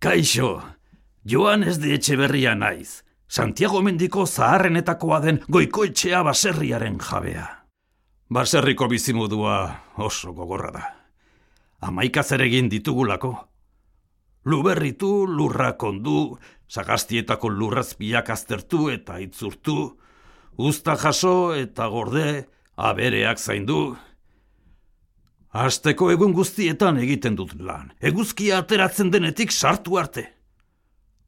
Kaixo, Joanes de Etxeberria naiz, Santiago mendiko zaharrenetakoa den Goikoetxea baserriaren jabea. Baserriko bizimodua oso gogorra da. 11 zeregin ditugulako. Luberritu, lurrak ondu, sagastietako lurrazpiak aztertu eta itzurtu, uzta jaso eta gorde, abereak zaindu. Asteko egun guztietan egiten dut lan, eguzkia ateratzen denetik sartu arte.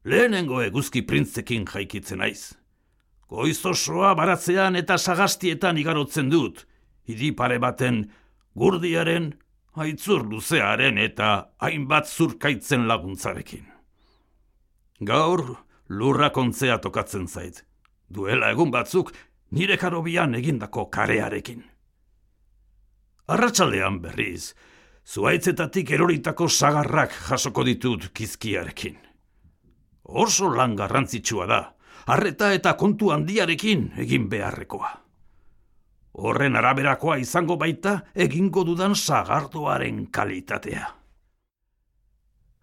Lehenengo eguzki printzekin jaikitzen naiz. Goiz osoa baratzean eta sagastietan igarotzen dut, hiri pare baten, gurdiaren, aitzur luzearen eta hainbat zurkaitzen laguntzarekin. Gaur lurrak ontzea tokatzen zait, duela egun batzuk nire karobian egindako karearekin. Arratsaldean berriz, zuhaitzetatik eroritako sagarrak jasoko ditut kizkiarekin. Oso lan garrantzitsua da, arreta eta kontu handiarekin egin beharrekoa. Horren araberakoa izango baita egingo dudan sagardoaren kalitatea.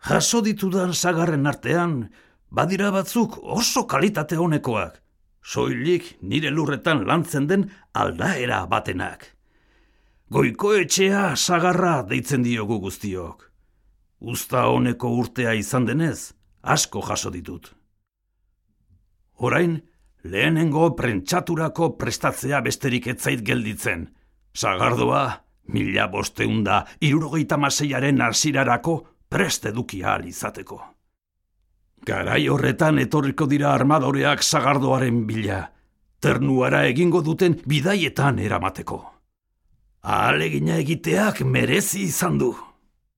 Jaso ditudan sagarren artean, badira batzuk oso kalitate honekoak, soilik nire lurretan lantzen den aldaera batenak. Goikoetxea sagarra deitzen diogu guztiok. Uzta honeko urtea izan denez, asko jaso ditut. Orain, lehenengo prentsaturako prestatzea besterik ez zait gelditzen. Sagardoa, 1576aren hasierarako prest eduki ahal izateko. Garai horretan etorriko dira armadoreak sagardoaren bila, ternuara egingo duten bidaietan eramateko. Ahalegina egiteak merezi izan du.